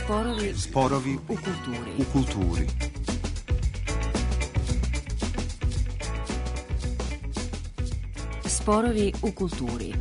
Sporovi u kulturi. Sporovi u kulturi.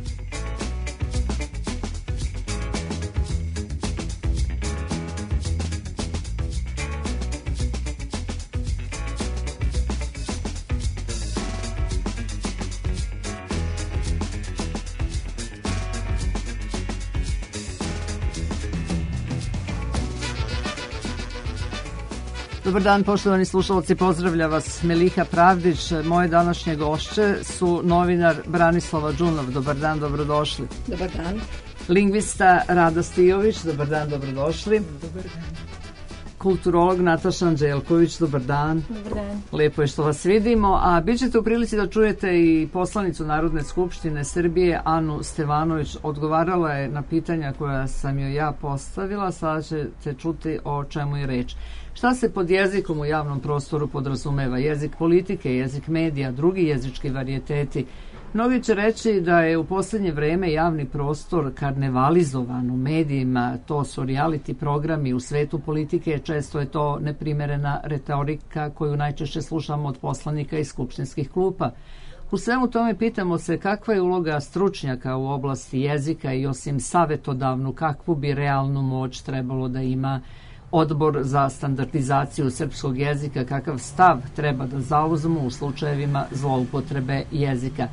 Dobar dan, poštovani slušalci, pozdravlja vas Meliha Pravdić. Moje današnje gošće su novinar Branislava Đunov. Dobar dan, dobrodošli. Dobar dan. Lingvista Rada Stijović. Dobar dan, dobrodošli. Dobar dan. Kulturolog Nataša Anđelković. Dobar dan. Dobar dan. Lepo je što vas vidimo, a bit ćete u prilici da čujete i poslanicu Narodne skupštine Srbije, Anu Stevanović. Odgovarala je na pitanja koja sam joj ja postavila, sada ćete čuti o čemu je reč. Šta se pod jezikom u javnom prostoru podrazumeva? Jezik politike, jezik medija, drugi jezički varijeteti. Mnogi će reći da je u posljednje vreme javni prostor karnevalizovan u medijima, to su reality programi u svetu politike, često je to neprimerena retorika koju najčešće slušamo od poslanika iz skupštinskih klupa. U svemu tome pitamo se kakva je uloga stručnjaka u oblasti jezika i osim savetodavnu, kakvu bi realnu moć trebalo da ima Odbor za standardizaciju srpskog jezika, kakav stav treba da zauzmu u slučajevima zloupotrebe jezika.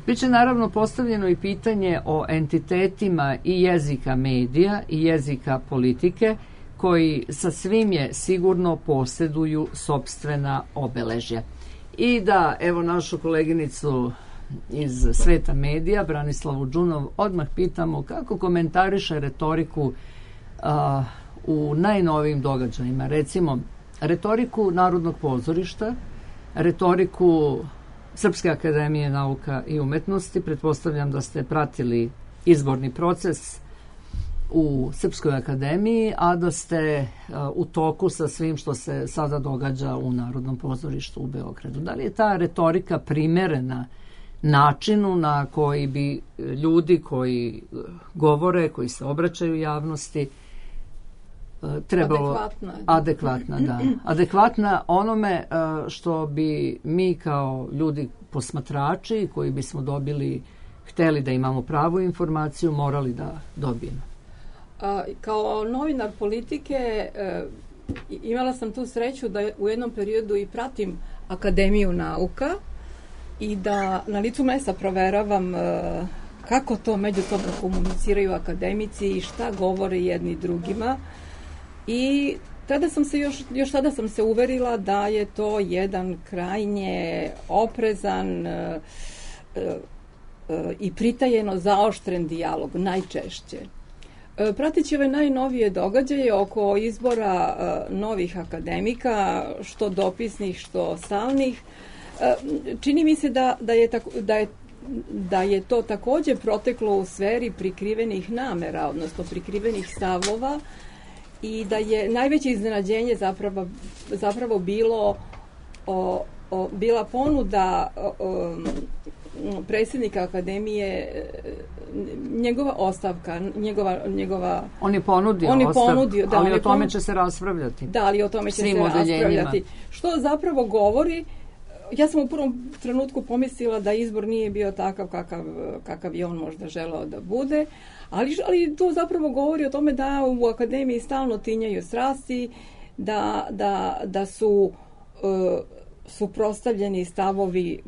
Biće naravno postavljeno i pitanje o entitetima i jezika medija i jezika politike koji sa svim je sigurno posjeduju sopstvena obeležja. I da, evo našu koleginicu iz sveta medija, Branislavu Đunov, odmah pitamo kako komentariše retoriku u najnovijim događajima, recimo retoriku Narodnog pozorišta, retoriku Srpske akademije nauka i umetnosti. Pretpostavljam da ste pratili izborni proces u Srpskoj akademiji, a da ste u toku sa svim što se sada događa u Narodnom pozorištu u Beogradu. Da li je ta retorika primerena načinu na koji bi ljudi koji govore, koji se obraćaju javnosti, trebalo adekvatna, da. Adekvatna onome što bi mi kao ljudi posmatrači koji bismo hteli da imamo pravu informaciju, morali da dobijemo. Kao novinar politike imala sam tu sreću da u jednom periodu i pratim Akademiju nauka i da na licu mesta proveravam kako to međusobno komuniciraju akademici i šta govore jedni drugima. I tada sam se još tada sam se uverila da je to jedan krajnje oprezan i pritajeno zaoštren dijalog, najčešće. Prateći ove najnovije događaje oko izbora novih akademika, što dopisnih, što stalnih, čini mi se da je to također proteklo u sferi prikrivenih namera, odnosno prikrivenih stavova, i da je najveće iznenađenje zapravo bila ponuda predsjednika akademije, njegova ostavka, njegova... On je ponudio, da, ali o tome će se raspravljati. Da, ali o tome će se raspravljati. Što zapravo govori, ja sam u prvom trenutku pomislila da izbor nije bio takav kakav je on možda želeo da bude, ali to zapravo govori o tome da u akademiji stalno tinjaju strasti, da su suprotstavljeni stavovi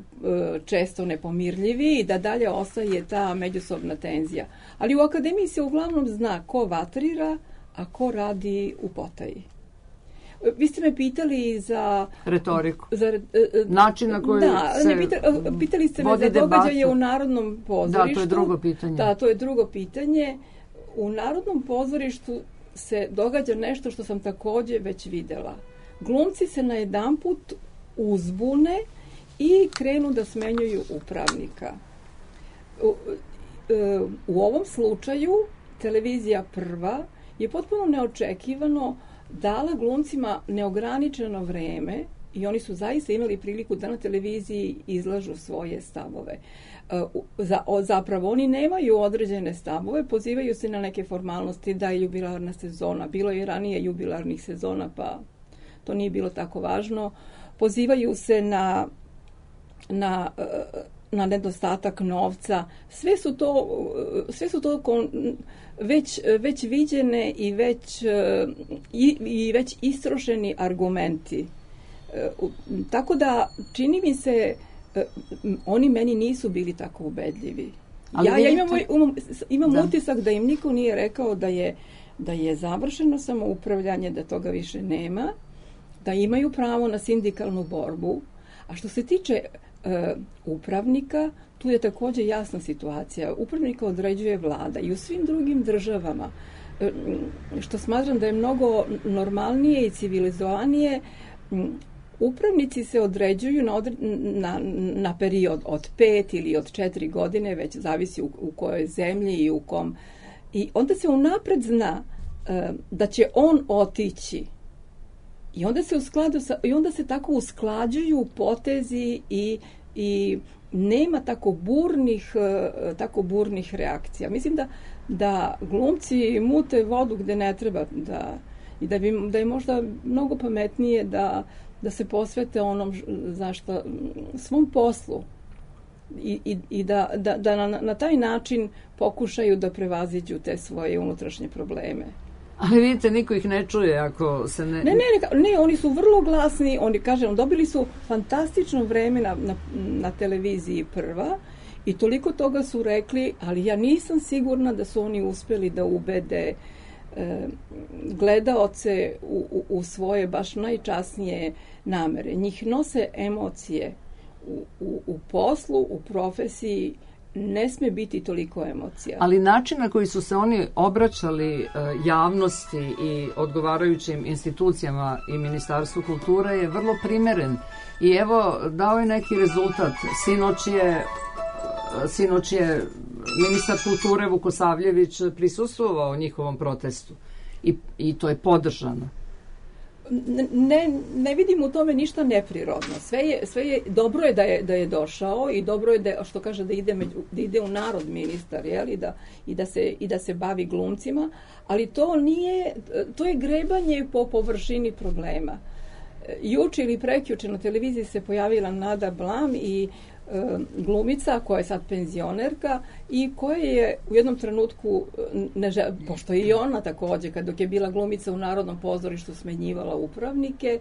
često nepomirljivi i da dalje ostaje ta međusobna tenzija. Ali u akademiji se uglavnom zna ko vatrira, a ko radi u potaji. Vi ste me pitali za retoriku, način na koji pitali ste me za događaje u Narodnom pozorištu. Da, to je drugo pitanje. Da, to je drugo pitanje. U Narodnom pozorištu se događa nešto što sam također već vidjela. Glumci se najedanput uzbune i krenu da smenjuju upravnika. U ovom slučaju televizija Prva je potpuno neočekivano dala glumcima neograničeno vreme i oni su zaista imali priliku da na televiziji izlažu svoje stavove. Zapravo oni nemaju određene stavove, pozivaju se na neke formalnosti da je jubilarna sezona. Bilo je ranije jubilarnih sezona, pa to nije bilo tako važno. Pozivaju se na nedostatak novca. Sve su to već viđene i već istrošeni argumenti. Tako da čini mi se oni meni nisu bili tako ubedljivi. Ja imam utisak da im niko nije rekao da je završeno samoupravljanje, da toga više nema, da imaju pravo na sindikalnu borbu. A što se tiče upravnika, tu je također jasna situacija. Upravnika određuje vlada i u svim drugim državama, što smatram da je mnogo normalnije i civilizovanije. Upravnici se određuju na period od 5 ili od 4 godine, već zavisi u kojoj zemlji i u kom. I onda se unapred zna da će on otići. I onda se tako usklađuju potezi i nema tako burnih reakcija. Mislim da glumci mute vodu gde ne treba, da je možda mnogo pametnije da se posvete onom svom poslu i da na taj način pokušaju da prevaziđu te svoje unutrašnje probleme. Ali vidite, niko ih ne čuje ako se ne... Ne, oni su vrlo glasni, dobili su fantastično vreme na televiziji Prva i toliko toga su rekli, ali ja nisam sigurna da su oni uspeli da ubede gledaoce u svoje baš najčasnije namere. Njih nose emocije u poslu, u profesiji, ne sme biti toliko emocija. Ali način na koji su se oni obraćali javnosti i odgovarajućim institucijama i Ministarstvu kulture je vrlo primeren. I evo, dao je neki rezultat. Sinoć je ministar kulture Vukosavljević prisustvovao njihovom protestu. I to je podržano. Ne vidim u tome ništa neprirodno. Sve je dobro je da je došao i dobro je da, što kaže, da ide u narod ministar, i da se bavi glumcima, ali to je grebanje po površini problema. Juče ili prekjuče na televiziji se pojavila Nada Blam i glumica koja je sad penzionerka i koja je u jednom trenutku, pošto je i ona također, dok je bila glumica u Narodnom pozorištu, smenjivala upravnike,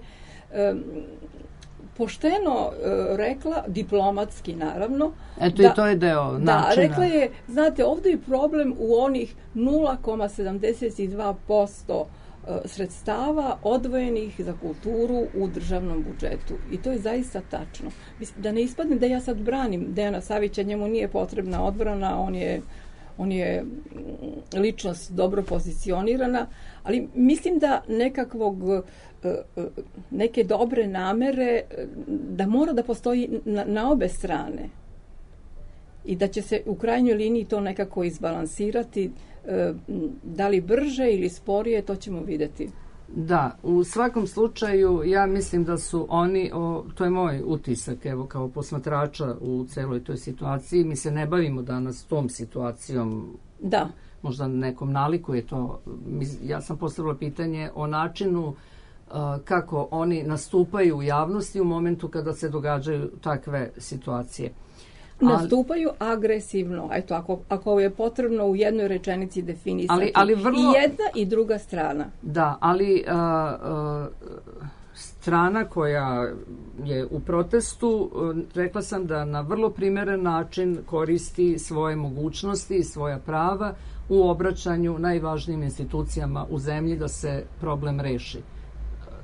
pošteno rekla, diplomatski naravno. Eto, i to je deo načina. Da, rekla je, znate, ovdje je problem u onih 0,72% sredstava odvojenih za kulturu u državnom budžetu. I to je zaista tačno. Da ne ispadne da ja sad branim Dejana Savića, njemu nije potrebna odbrana, on je ličnost dobro pozicionirana, ali mislim da neke dobre namere, da mora da postoji na obe strane i da će se u krajnjoj liniji to nekako izbalansirati. Da li brže ili sporije, to ćemo vidjeti. Da, u svakom slučaju ja mislim da su oni, to je moj utisak, evo, kao posmatrača u celoj toj situaciji. Mi se ne bavimo danas tom situacijom. Da. Možda nekom nalikuje to. Ja sam postavila pitanje o načinu kako oni nastupaju u javnosti u momentu kada se događaju takve situacije. Nastupaju agresivno. Eto, ako je potrebno u jednoj rečenici definisati ali vrlo, i jedna i druga strana. Da, ali strana koja je u protestu, rekla sam da na vrlo primjeren način koristi svoje mogućnosti i svoja prava u obraćanju najvažnijim institucijama u zemlji da se problem reši.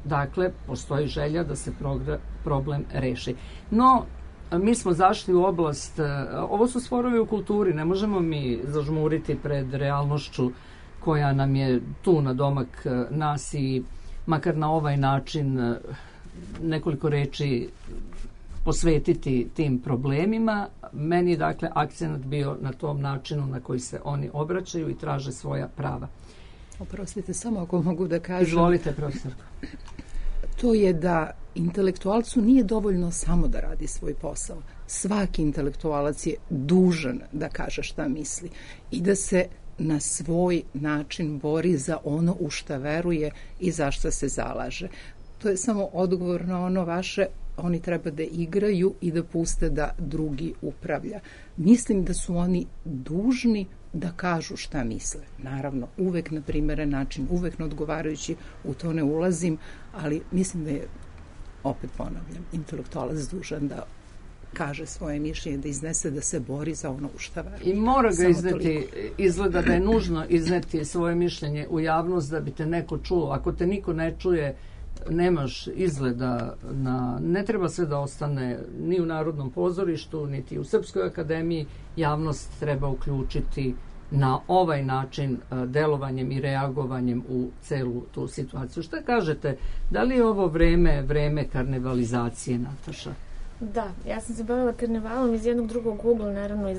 Dakle, postoji želja da se problem reši. No, mi smo zašli u oblast, ovo su sporovi u kulturi, ne možemo mi zažmuriti pred realnošću koja nam je tu na domak nas i makar na ovaj način nekoliko reči posvetiti tim problemima. Meni je dakle akcenat bio na tom načinu na koji se oni obraćaju i traže svoja prava. Oprostite, samo ako mogu da kažem. Izvolite, profesorko. to je da intelektualcu nije dovoljno samo da radi svoj posao. Svaki intelektualac je dužan da kaže šta misli i da se na svoj način bori za ono u šta veruje i za šta se zalaže. To je samo odgovor na ono vaše, oni treba da igraju i da puste da drugi upravlja. Mislim da su oni dužni da kažu šta misle. Naravno, uvek na primeren način, uvek na odgovarajući, u to ne ulazim, ali mislim da je, opet ponavljam, intelektualac dužan da kaže svoje mišljenje, da iznese, da se bori za ono u šta veruje. I mora ga izneti, izgleda da je nužno izneti svoje mišljenje u javnost da bi te neko čuo. Ako te niko ne čuje, nemaš izgleda ne treba sve da ostane ni u Narodnom pozorištu, niti u Srpskoj akademiji. Javnost treba uključiti na ovaj način delovanjem i reagovanjem u celu tu situaciju. Šta kažete, da li je ovo vreme karnevalizacije, Nataša? Da, ja sam se bavila karnevalom iz jednog drugog ugla, naravno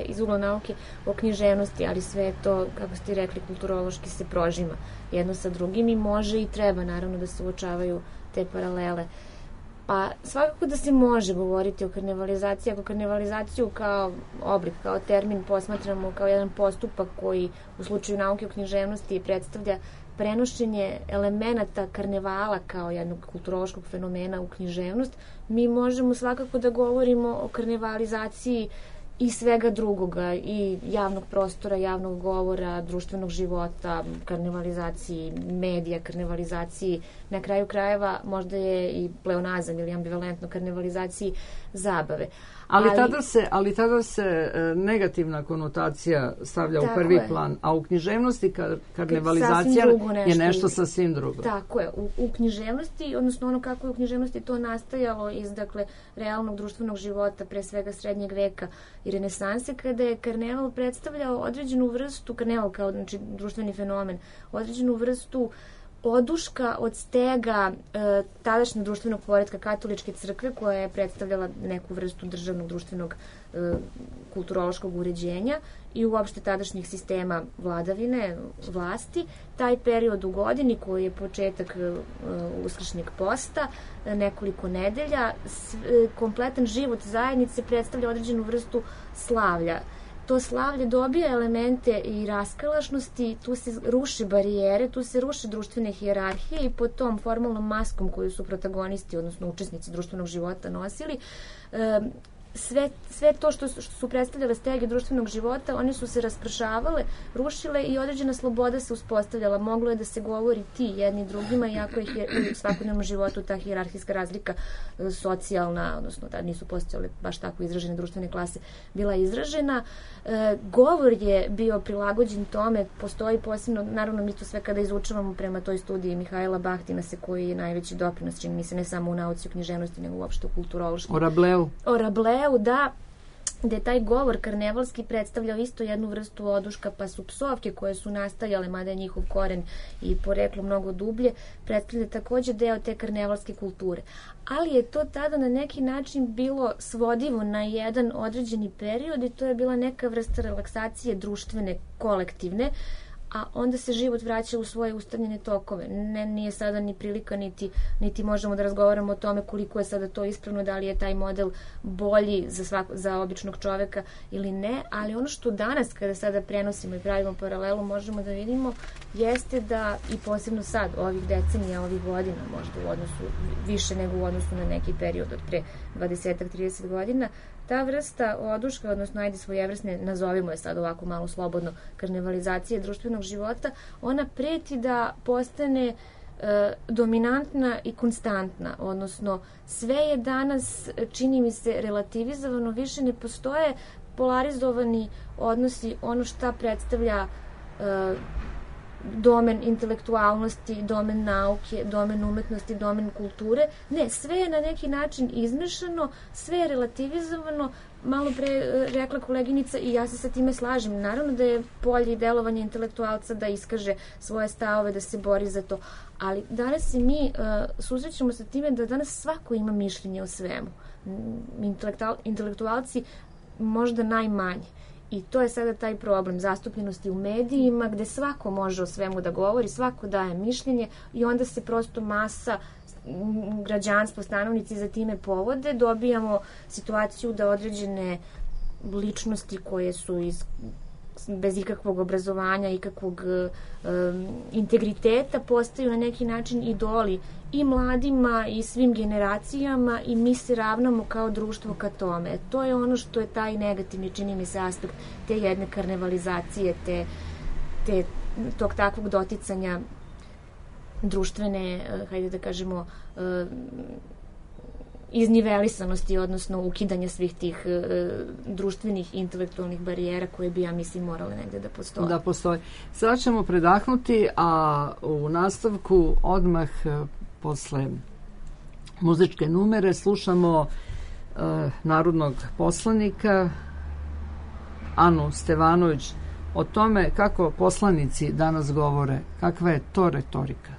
iz ugla nauke o književnosti, ali sve to, kako ste rekli, kulturološki se prožima jedno sa drugim i može i treba naravno da se uočavaju te paralele. Pa svakako da se može govoriti o karnevalizaciji, ako karnevalizaciju kao oblik, kao termin posmatramo kao jedan postupak koji u slučaju nauke o književnosti predstavlja prenošenje elemenata karnevala kao jednog kulturološkog fenomena u književnost, mi možemo svakako da govorimo o karnevalizaciji i svega drugoga, i javnog prostora, javnog govora, društvenog života, karnevalizaciji medija, karnevalizaciji, na kraju krajeva možda je i pleonazam ili ambivalentno karnevalizaciji zabave. Ali tada se negativna konotacija stavlja u prvi plan, a u književnosti karnevalizacija je nešto sasvim drugo. Tako je. U književnosti, odnosno ono kako je u književnosti to nastajalo iz realnog društvenog života, pre svega srednjeg veka i renesanse, kada je karneval predstavljao određenu vrstu, karneval kao društveni fenomen, određenu vrstu oduška od stega tadašnjeg društvenog poretka katoličke crkve, koja je predstavljala neku vrstu državnog, društvenog, kulturološkog uređenja i uopšte tadašnjih sistema vladavine, vlasti. Taj period u godini, koji je početak uskršnjeg posta, nekoliko nedelja, kompletan život zajednice predstavlja određenu vrstu slavlja. To slavlje dobija elemente i raskalašnosti, tu se ruši barijere, tu se ruši društvene hijerarhije i pod tom formalnom maskom koju su protagonisti, odnosno učesnici društvenog života nosili, sve to što su predstavljale stege društvenog života, one su se raspršavale, rušile i određena sloboda se uspostavljala. Moglo je da se govori ti jedni drugima, iako je u svakodnevnom životu ta hijerarhijska razlika socijalna, odnosno da nisu postojale baš tako izražene društvene klase, bila izražena. Govor je bio prilagođen tome, postoji posebno, naravno mi to sve kada izučavamo prema toj studiji Mihajla Bahtinasa, koji je najveći doprinos, čini mi se, ne samo u nauci o književnosti, nego uopšte u kulturološkom. O Rableu, da, gde taj govor karnevalski predstavljao isto jednu vrstu oduška, pa su psovke koje su nastajale, mada je njihov koren i poreklo mnogo dublje, predstavlja takođe deo te karnevalske kulture. Ali je to tada na neki način bilo svodivo na jedan određeni period i to je bila neka vrsta relaksacije društvene, kolektivne, a onda se život vraća u svoje ustavljene tokove. Nije sada ni prilika, niti možemo da razgovaramo o tome koliko je sada to ispravno, da li je taj model bolji za običnog čoveka ili ne, ali ono što danas, kada sada prenosimo i pravimo paralelu, možemo da vidimo, jeste da, i posebno sad, ovih decenija, ovih godina, možda u odnosu, više nego u odnosu na neki period od pre 20-30 godina, ta vrsta oduška, odnosno ajde svojevrsne, nazovimo je sad ovako malo slobodno, karnevalizacije društvenog života, ona preti da postane dominantna i konstantna, odnosno sve je danas, čini mi se, relativizovano, više ne postoje polarizovani odnosi, ono šta predstavlja domen intelektualnosti, domen nauke, domen umetnosti, domen kulture. Ne, sve je na neki način izmešano, sve je relativizovano. Malo pre rekla koleginica i ja se sa time slažem. Naravno da je polje i delovanje intelektualca da iskaže svoje stavove, da se bori za to. Ali danas se mi susrećemo sa time da danas svako ima mišljenje o svemu. Intelektualci možda najmanje. I to je sada taj problem zastupljenosti u medijima gde svako može o svemu da govori, svako daje mišljenje i onda se prosto masa građanstvo, stanovnici za time povode. Dobijamo situaciju da određene ličnosti koje su bez ikakvog obrazovanja, ikakvog integriteta postaju na neki način idoli i mladima i svim generacijama i mi se ravnamo kao društvo ka tome. To je ono što je taj negativni, čini mi se, aspekt te jedne karnevalizacije, tog takvog doticanja društvene, hajde da kažemo, iznivelisanosti, odnosno ukidanja svih tih društvenih intelektualnih barijera koje bi, ja mislim, morale negde da postoje. Da postoje. Sada ćemo predahnuti, a u nastavku odmah posle muzičke numere slušamo narodnog poslanika Anu Stevanović o tome kako poslanici danas govore, kakva je to retorika.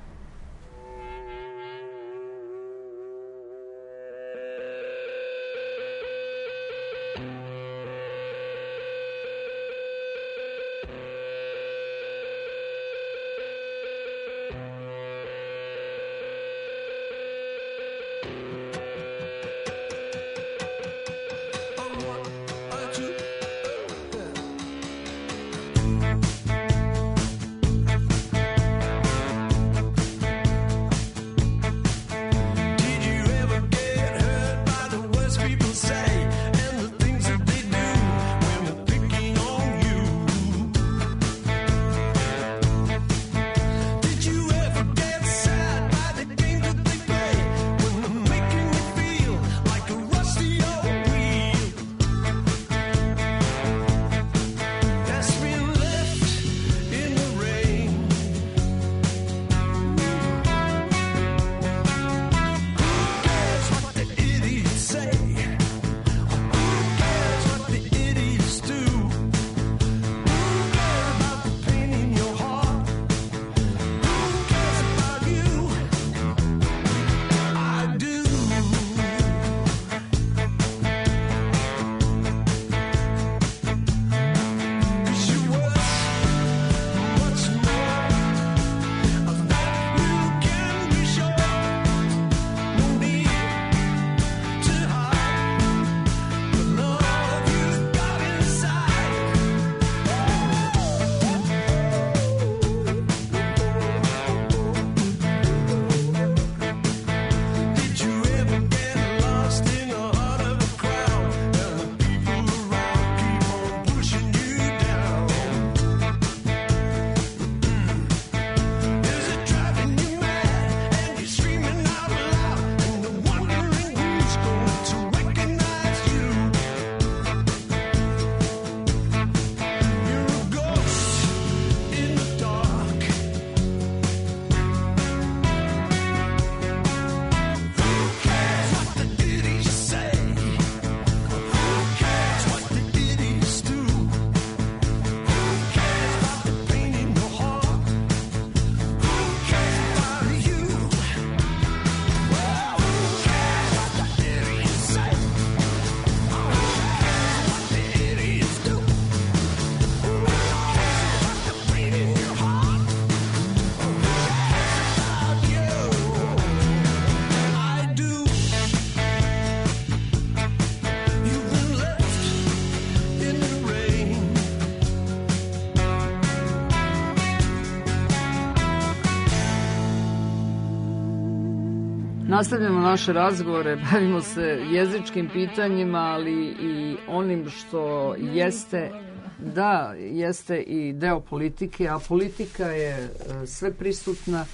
Nastavljamo naše razgovore, bavimo se jezičkim pitanjima, ali i onim što jeste, da, jeste i deo politike, a politika je sve prisutna,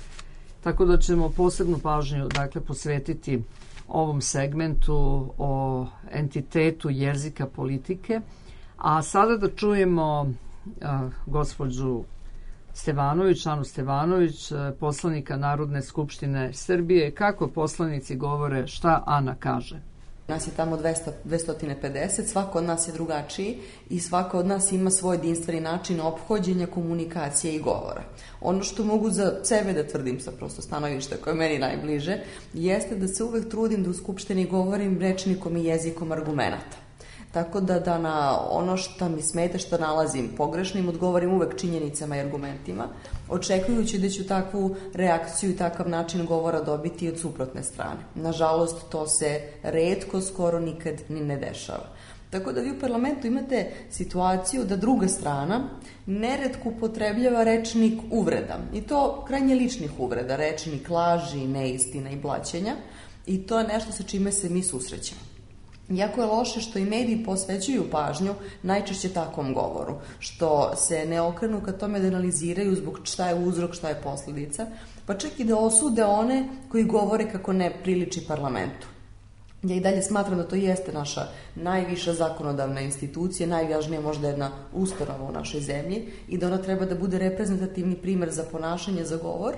tako da ćemo posebnu pažnju, dakle, posvetiti ovom segmentu o entitetu jezika politike. A sada da čujemo gospođu Stevanović, Anu Stevanović, poslanika Narodne skupštine Srbije. Kako poslanici govore, šta Ana kaže? Nas je tamo 250, svako od nas je drugačiji i svako od nas ima svoj jedinstveni način ophođenja, komunikacije i govora. Ono što mogu za sebe da tvrdim sa prosto stanovišta koje je meni najbliže, jeste da se uvek trudim da u Skupštini govorim rečnikom i jezikom argumenata. Tako da na ono što mi smeta, što nalazim pogrešnim, odgovorim uvek činjenicama i argumentima, očekujući da ću takvu reakciju i takav način govora dobiti od suprotne strane. Nažalost, to se retko, skoro nikad ni ne dešava. Tako da vi u parlamentu imate situaciju da druga strana neretko upotrebljava rečnik uvreda. I to krajnje ličnih uvreda, rečnik laži, neistina i blaćenja. I to je nešto sa čime se mi susrećemo. Jako je loše što i mediji posvećuju pažnju najčešće takvom govoru, što se ne okrenu ka tome da analiziraju zbog šta je uzrok, šta je posledica, pa čak i da osude one koji govore kako ne priliči parlamentu. Ja i dalje smatram da to jeste naša najviša zakonodavna institucija, najvažnija možda jedna ustanova u našoj zemlji i da ona treba da bude reprezentativni primer za ponašanje, za govor,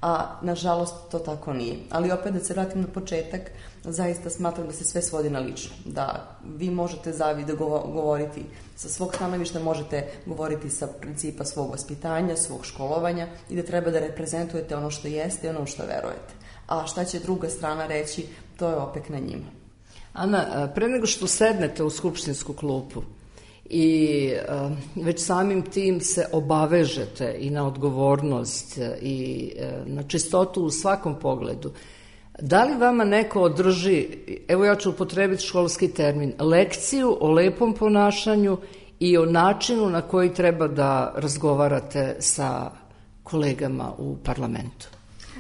a nažalost to tako nije. Ali opet da se vratim na početak, zaista smatram da se sve svodi na lično. Da vi možete da govoriti sa svog stanovišta, možete govoriti sa principa svog vaspitanja, svog školovanja i da treba da reprezentujete ono što jeste i ono što verujete. A šta će druga strana reći, to je opet na njima. Ana, pre nego što sednete u skupštinsku klupu i već samim tim se obavežete i na odgovornost i na čistotu u svakom pogledu, da li vama neko održi, evo ja ću upotrebiti školski termin, lekciju o lepom ponašanju i o načinu na koji treba da razgovarate sa kolegama u parlamentu?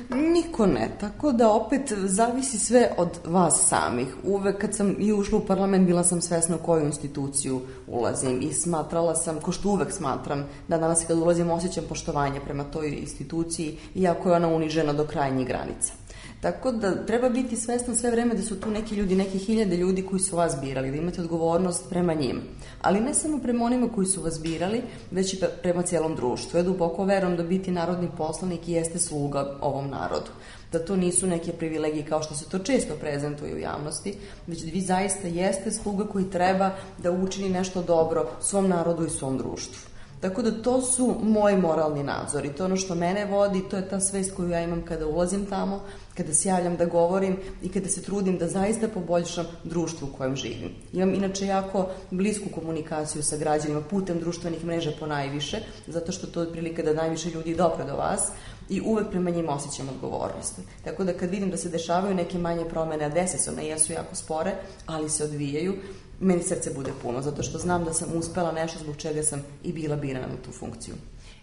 Niko ne, tako da opet zavisi sve od vas samih. Uvek kad sam i ušla u parlament bila sam svesna u koju instituciju ulazim i smatrala sam, ko što uvek smatram, da danas kad ulazim osjećam poštovanje prema toj instituciji, iako je ona unižena do krajnjih granica. Tako da treba biti svestan sve vreme da su tu neki ljudi, neki hiljade ljudi koji su vas birali, da imate odgovornost prema njima. Ali ne samo prema onima koji su vas birali, već i prema cijelom društvu. Ja duboko verujem da biti narodni poslanik jeste sluga ovom narodu. Da to nisu neke privilegije kao što se to često prezentuje u javnosti, već da vi zaista jeste sluga koji treba da učini nešto dobro svom narodu i svom društvu. Tako da to su moji moralni nadzori, to je ono što mene vodi, to je ta svest koju ja imam kada ulazim tamo, kada se javljam da govorim i kada se trudim da zaista poboljšam društvo u kojem živim. Imam inače jako blisku komunikaciju sa građanima putem društvenih mreža ponajviše, zato što to je prilika da najviše ljudi dopre do vas i uvek prema njima osjećam odgovornost. Tako da kad vidim da se dešavaju neke manje promene, a dese se, one jesu jako spore, ali se odvijaju, meni srce bude puno, zato što znam da sam uspela nešto zbog čega sam i bila birana na tu funkciju.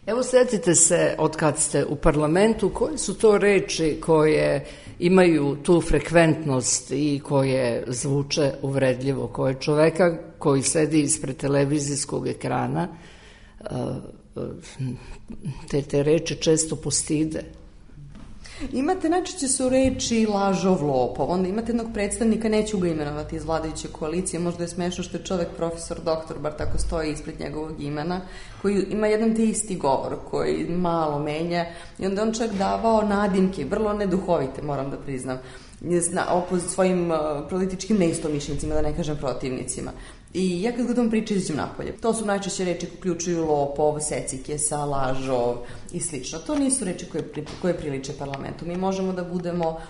Evo, setite se od kad ste u parlamentu, koje su to reči koje imaju tu frekventnost i koje zvuče uvredljivo, koje čoveka koji sedi ispred televizijskog ekrana, te reči često postide. Imate, najčešće su reči lažov, lopov, onda imate jednog predstavnika, neću ga imenovati iz vladajuće koalicije, možda je smešno što je čovek profesor, doktor, bar tako stoji ispred njegovog imena, koji ima jedan te isti govor, koji malo menja i onda on čak davao nadimke, vrlo neduhovite, moram da priznam, svojim političkim neistomišljenicima, da ne kažem protivnicima. I ja kad god vam pričam, izađem napolje. To su najčešće reči koje uključuju lopov, secikesa, lažov i slično. To nisu reči koje priliče parlamentu. Mi možemo da budemo,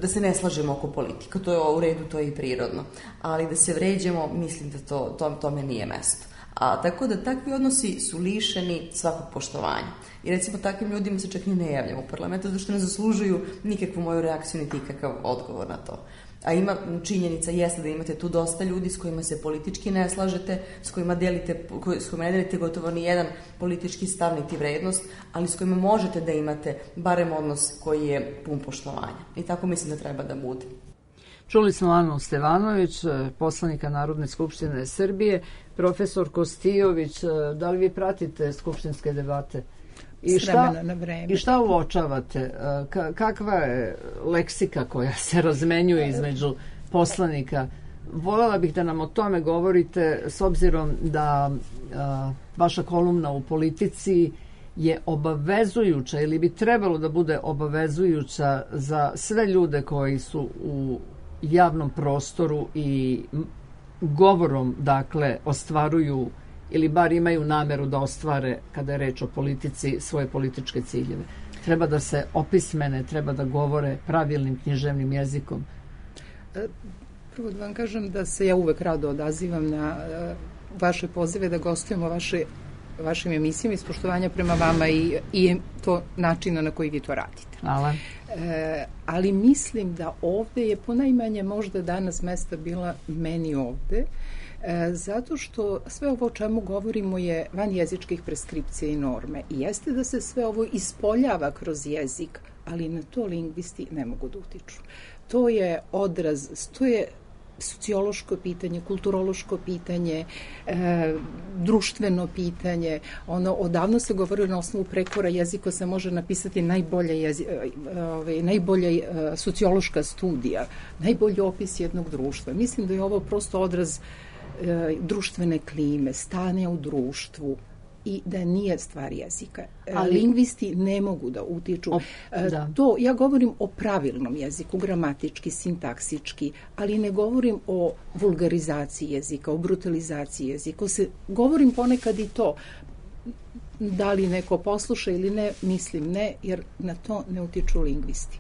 da se ne slažemo oko politika. To je u redu, to je i prirodno. Ali da se vređemo, mislim da tome nije mesto. A tako da takvi odnosi su lišeni svakog poštovanja. I recimo takvim ljudima se čak ni ne javljamo u parlamentu, zato što ne zaslužuju nikakvu moju reakciju niti ikakav odgovor na to. A ima činjenica jeste da imate tu dosta ljudi s kojima se politički ne slažete, s kojima ne delite gotovo ni jedan politički stav niti vrednost, ali s kojima možete da imate barem odnos koji je pun poštovanja. I tako mislim da treba da bude. Čuli smo Anu Stevanović, poslanika Narodne skupštine Srbije. Profesor Kostijović, da li vi pratite skupštinske debate? I šta uočavate? Kakva je leksika koja se razmenjuje između poslanika? Voljela bih da nam o tome govorite, s obzirom da vaša kolumna u Politici je obavezujuća ili bi trebalo da bude obavezujuća za sve ljude koji su u javnom prostoru i govorom, dakle, ostvaruju ili bar imaju nameru da ostvare, kada je reč o politici, svoje političke ciljeve. Treba da se opismene, treba da govore pravilnim književnim jezikom. Prvo da vam kažem da se ja uvek rado odazivam na vaše pozive da gostujemo vašim emisijama iz poštovanja prema vama i to načina na koji vi to radite. Hvala. Ali mislim da ovde je ponajmanje možda danas mesta bila meni ovde, zato što sve ovo o čemu govorimo je van jezičkih preskripcija i norme. I jeste da se sve ovo ispoljava kroz jezik, ali na to lingvisti ne mogu da utiču. To je odraz, to je sociološko pitanje, kulturološko pitanje, društveno pitanje. Odavno se govori na osnovu prekora jezika se može napisati najbolja sociološka studija, najbolji opis jednog društva. Mislim da je ovo prosto odraz društvene klime, stanja u društvu i da nije stvar jezika. Lingvisti ne mogu da utiču. To, ja govorim o pravilnom jeziku, gramatički, sintaksički, ali ne govorim o vulgarizaciji jezika, o brutalizaciji jezika. Govorim ponekad i to. Da li neko posluša ili ne, mislim ne, jer na to ne utiču lingvisti.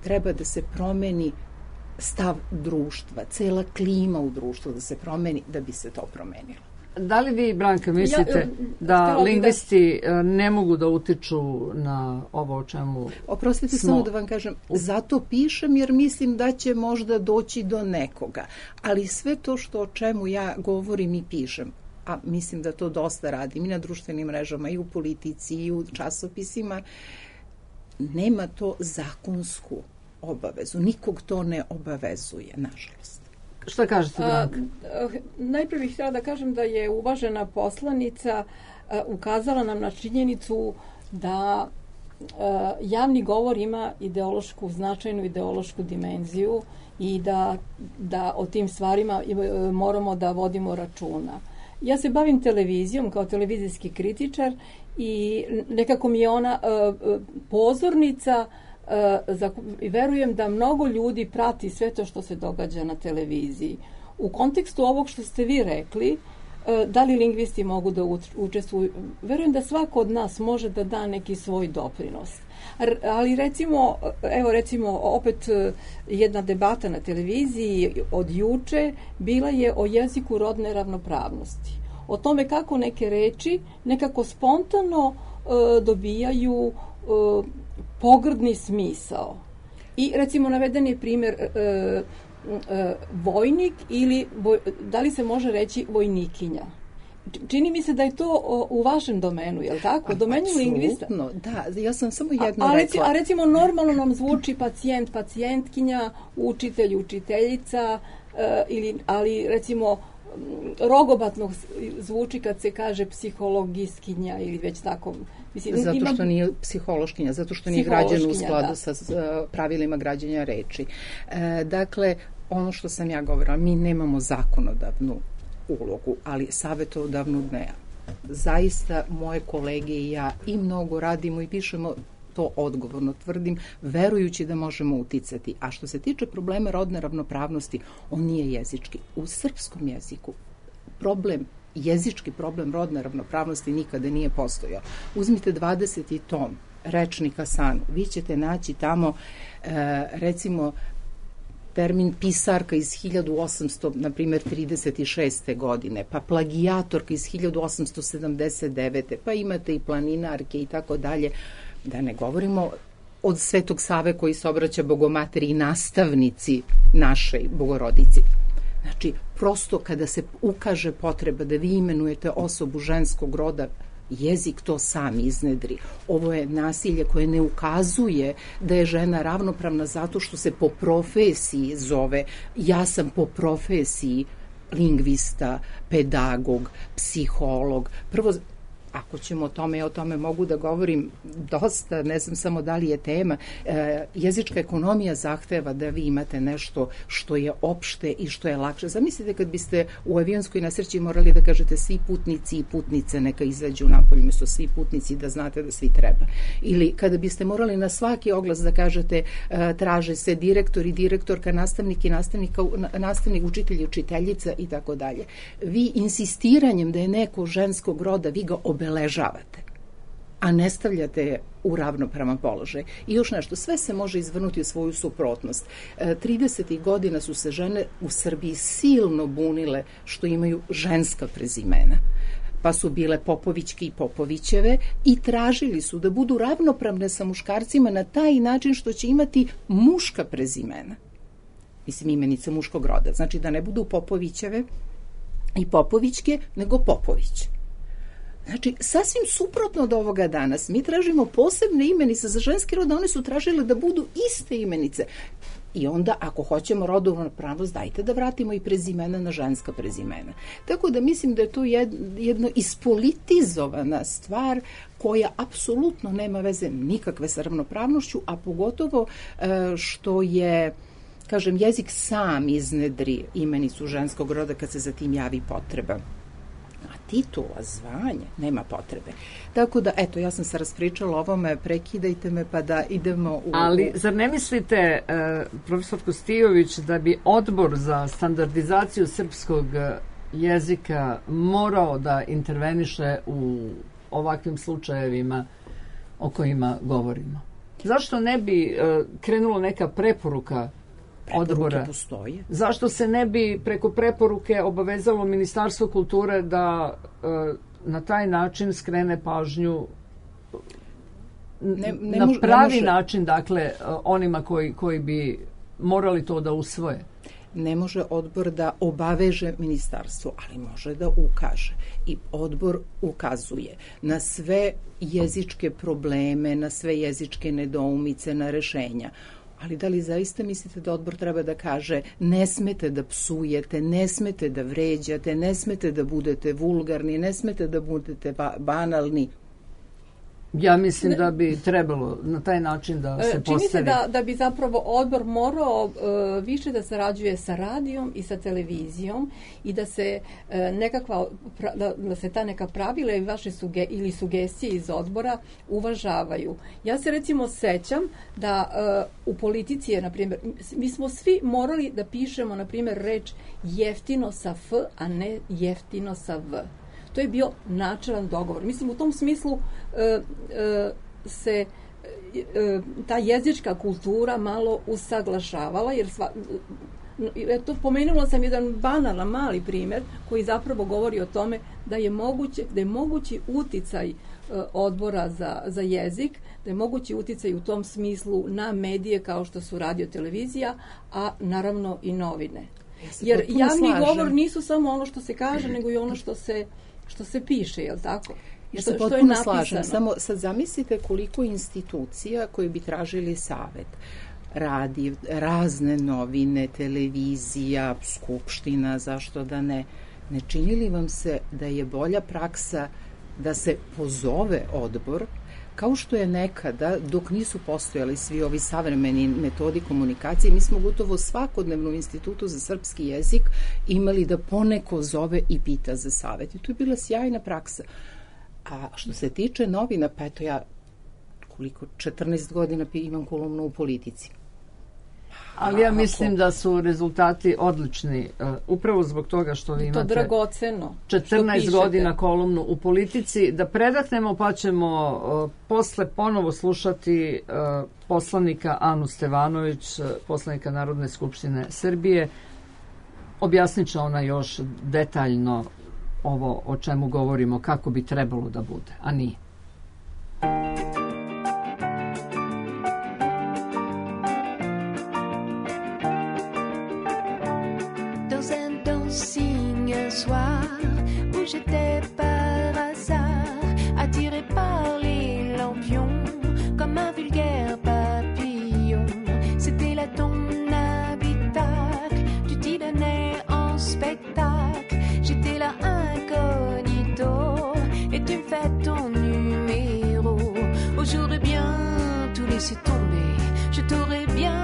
Treba da se promeni stav društva, cela klima u društvu da se promeni da bi se to promenilo. Da li vi, Branka, mislite da lingvisti ne mogu da utiču na ovo o čemu Oprostite, samo da vam kažem, zato pišem jer mislim da će možda doći do nekoga. Ali sve to o čemu ja govorim i pišem, a mislim da to dosta radim i na društvenim mrežama, i u politici, i u časopisima, nema to zakonsku obavezu. Nikog to ne obavezuje, nažalost. Šta kažete, Branka? Najprije bih htjela da kažem da je uvažena poslanica ukazala nam na činjenicu da javni govor ima značajnu ideološku dimenziju i da o tim stvarima moramo da vodimo računa. Ja se bavim televizijom kao televizijski kritičar i nekako mi je ona pozornica i verujem da mnogo ljudi prati sve to što se događa na televiziji. U kontekstu ovog što ste vi rekli, da li lingvisti mogu da učestvuju, verujem da svako od nas može da da neki svoj doprinos. Ali recimo opet jedna debata na televiziji od juče bila je o jeziku rodne ravnopravnosti. O tome kako neke reči nekako spontano dobijaju pogrdni smisao. I recimo naveden je primjer vojnik ili da li se može reći vojnikinja. Čini mi se da je to u vašem domenu, je li tako? Domenu lingvista. Da, ja sam samo jedno rekla. A recimo normalno nam zvuči pacijent, pacijentkinja, učitelj, učiteljica, ali recimo rogobatno zvuči kad se kaže psihologistkinja ili već tako. Mislim, zato što nije psihološkinja, zato što nije građen u skladu sa pravilima građenja reči. Dakle, ono što sam ja govorila, mi nemamo zakonodavnu ulogu, ali savjetodavnu ne. Zaista moje kolege i ja i mnogo radimo i pišemo, to odgovorno tvrdim, verujući da možemo uticati. A što se tiče problema rodne ravnopravnosti, on nije jezički. U srpskom jeziku jezički problem rodne ravnopravnosti nikada nije postojao. Uzmite 20. tom rečnika Sanu, vi ćete naći tamo recimo termin pisarka iz 1800, na primjer 36. godine, pa plagijatorka iz 1879. pa imate i planinarke i tako dalje. Da ne govorimo od Svetog Save koji se obraća Bogomateri i nastavnici našej Bogorodici. Znači, prosto kada se ukaže potreba da vi imenujete osobu ženskog roda, jezik to sam iznedri. Ovo je nasilje koje ne ukazuje da je žena ravnopravna zato što se po profesiji zove. Ja sam po profesiji lingvista, pedagog, psiholog. Prvo, ako ćemo o tome mogu da govorim dosta, ne znam samo da li je tema. Jezička ekonomija zahteva da vi imate nešto što je opšte i što je lakše. Zamislite kad biste u avionskoj nesreći morali da kažete svi putnici i putnice neka izađu napolje, umjesto svi putnici, da znate da svi treba. Ili kada biste morali na svaki oglas da kažete traže se direktor i direktorka, nastavnik i nastavnik, učitelj i učiteljica i tako dalje. Vi insistiranjem da je neko ženskog roda, vi ga obeležavate. a ne stavljate je u ravnopravan položaj. I još nešto, sve se može izvrnuti u svoju suprotnost. 30. godina su se žene u Srbiji silno bunile što imaju ženska prezimena. Pa su bile Popovićke i Popovićeve i tražili su da budu ravnopravne sa muškarcima na taj način što će imati muška prezimena. Mislim, imenica muškog roda. Znači da ne budu Popovićeve i Popovićke, nego Popović. Znači, sasvim suprotno od ovoga danas. Mi tražimo posebne imenice za ženski rod, a one su tražile da budu iste imenice. I onda, ako hoćemo rodovnu ravnopravnost, dajte da vratimo i prezimena na ženska prezimena. Tako da mislim da je to jedno ispolitizovana stvar koja apsolutno nema veze nikakve sa ravnopravnošću, a pogotovo što je, kažem, jezik sam iznedri imenicu ženskog roda kad se za tim javi potreba. Titula, zvanje, nema potrebe. Tako da, eto, ja sam se raspričala o ovome, prekidajte me pa da idemo u... Ali, zar ne mislite, profesor Kostijović, da bi Odbor za standardizaciju srpskog jezika morao da interveniše u ovakvim slučajevima o kojima govorimo? Zašto ne bi krenulo neka preporuka odbora? Postoje. Zašto se ne bi preko preporuke obavezalo Ministarstvo kulture da na taj način skrene pažnju na pravi način, dakle, onima koji bi morali to da usvoje? Ne može odbor da obaveže ministarstvo, ali može da ukaže. I odbor ukazuje na sve jezičke probleme, na sve jezičke nedoumice, na rešenja. Ali da li zaista mislite da odbor treba da kaže ne smete da psujete, ne smete da vređate, ne smete da budete vulgarni, ne smete da budete banalni? Ja mislim da bi trebalo na taj način da se postavi. Čini se da bi zapravo odbor morao više da sarađuje sa radijom i sa televizijom i da se da se ta neka pravila i vaše sugestije iz odbora uvažavaju. Ja se recimo sećam da u politici je, na primjer, mi smo svi morali da pišemo, na primjer, reč jeftino sa F, a ne jeftino sa V. To je bio načelan dogovor. Mislim, u tom smislu se ta jezička kultura malo usaglašavala, jer pomenula sam jedan banalan mali primjer koji zapravo govori o tome da je mogući uticaj odbora za jezik, da je mogući uticaj u tom smislu na medije kao što su radio, televizija, a naravno i novine. Jer javni govor nisu samo ono što se kaže, nego i ono što se piše, je li tako? Ja se potpuno slažem. Samo sad zamislite koliko institucija koji bi tražili savet. Radio, razne novine, televizija, skupština, zašto da ne. Ne čini li vam se da je bolja praksa da se pozove odbor, kao što je nekada, dok nisu postojali svi ovi savremeni metodi komunikacije, mi smo gotovo svakodnevno u Institutu za srpski jezik imali da poneko zove i pita za savet. I to je bila sjajna praksa. A što se tiče novina, pa eto ja 14 godina imam kolumnu u Politici. Ali ja mislim da su rezultati odlični, upravo zbog toga što vi imate 14 godina kolumnu u Politici. Da predahnemo, pa ćemo posle ponovo slušati poslanika Anu Stevanović, poslanika Narodne skupštine Srbije. Objasnit će ona još detaljno ovo o čemu govorimo, kako bi trebalo da bude, a nije. J'étais par hasard attiré par les lampions comme un vulgaire papillon. C'était là ton habitacle, tu t'y donnais en spectacle. J'étais là incognito et tu me fais ton numéro. Aujourd'hui bien tout laisser tomber, je t'aurais bien